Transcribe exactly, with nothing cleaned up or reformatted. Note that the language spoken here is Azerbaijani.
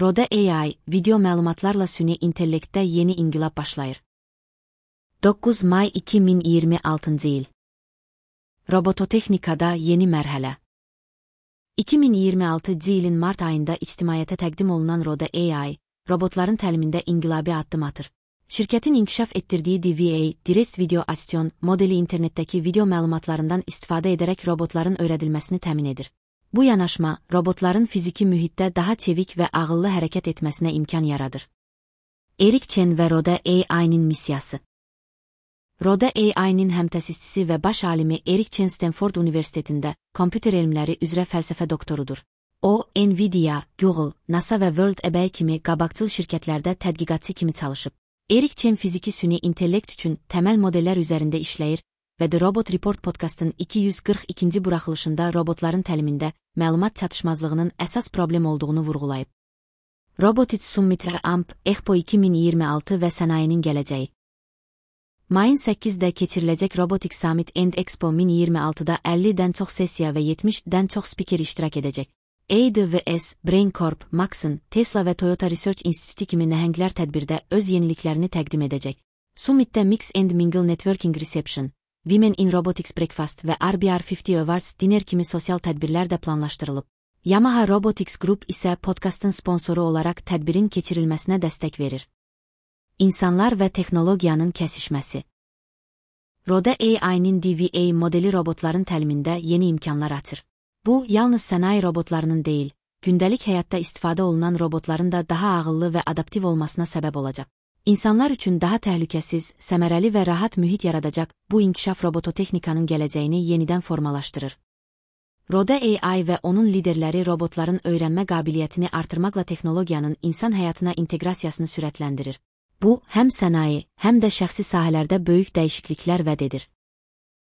Roda A I, video məlumatlarla süni intellektdə yeni inqilab başlayır. doqquz may iki min iyirmi altıncı il. Robototexnikada yeni mərhələ. iki min iyirmi altıncı ilin mart ayında ictimaiyyətə təqdim olunan Roda A I, robotların təlimində inqilabi addım atır. Şirkətin inkişaf etdirdiyi D V A, Direct Video Action modeli internetdəki video məlumatlarından istifadə edərək robotların öyrədilməsini təmin edir. Bu yanaşma, robotların fiziki mühitdə daha çevik və ağıllı hərəkət etməsinə imkan yaradır. Erik Chen və Roda A I-nin missiyası. Roda A I-nin həmtəsisçisi və baş alimi Erik Chen Stanford Universitetində kompüter elmləri üzrə fəlsəfə doktorudur. O, Nvidia, Google, NASA və World eBay kimi qabaqcıl şirkətlərdə tədqiqatçı kimi çalışıb. Erik Chen fiziki süni intellekt üçün təməl modellər üzərində işləyir və The Robot Report podkastın iki yüz qırx ikinci buraxılışında robotların təlimində məlumat çatışmazlığının əsas problem olduğunu vurğulayıb. Robotics Summit Amp Expo iki min iyirmi altı və sənayinin gələcəyi. Mayın səkkizində keçiriləcək Robotics Summit and Expo min iyirmi altıda əllidən çox sessiya və yetmişdən çox spiker iştirak edəcək. A W S, Brain Corp, Maxon, Tesla və Toyota Research Institute kimi nəhənglər tədbirdə öz yeniliklərini təqdim edəcək. Summitdə Mix and Mingle Networking Reception, Women in Robotics Breakfast və R B R əlli Awards Dinner kimi sosial tədbirlər də planlaşdırılıb. Yamaha Robotics Group isə podkastın sponsoru olaraq tədbirin keçirilməsinə dəstək verir. İnsanlar və texnologiyanın kəsişməsi. Roda A I-nin D V A modeli robotların təlimində yeni imkanlar açır. Bu, yalnız sənaye robotlarının deyil, gündəlik həyatda istifadə olunan robotların da daha ağıllı və adaptiv olmasına səbəb olacaq. İnsanlar üçün daha təhlükəsiz, səmərəli və rahat mühit yaradacaq bu inkişaf robototexnikanın gələcəyini yenidən formalaşdırır. Roda A I və onun liderləri robotların öyrənmə qabiliyyətini artırmaqla texnologiyanın insan həyatına inteqrasiyasını sürətləndirir. Bu, həm sənaye, həm də şəxsi sahələrdə böyük dəyişikliklər vəd edir.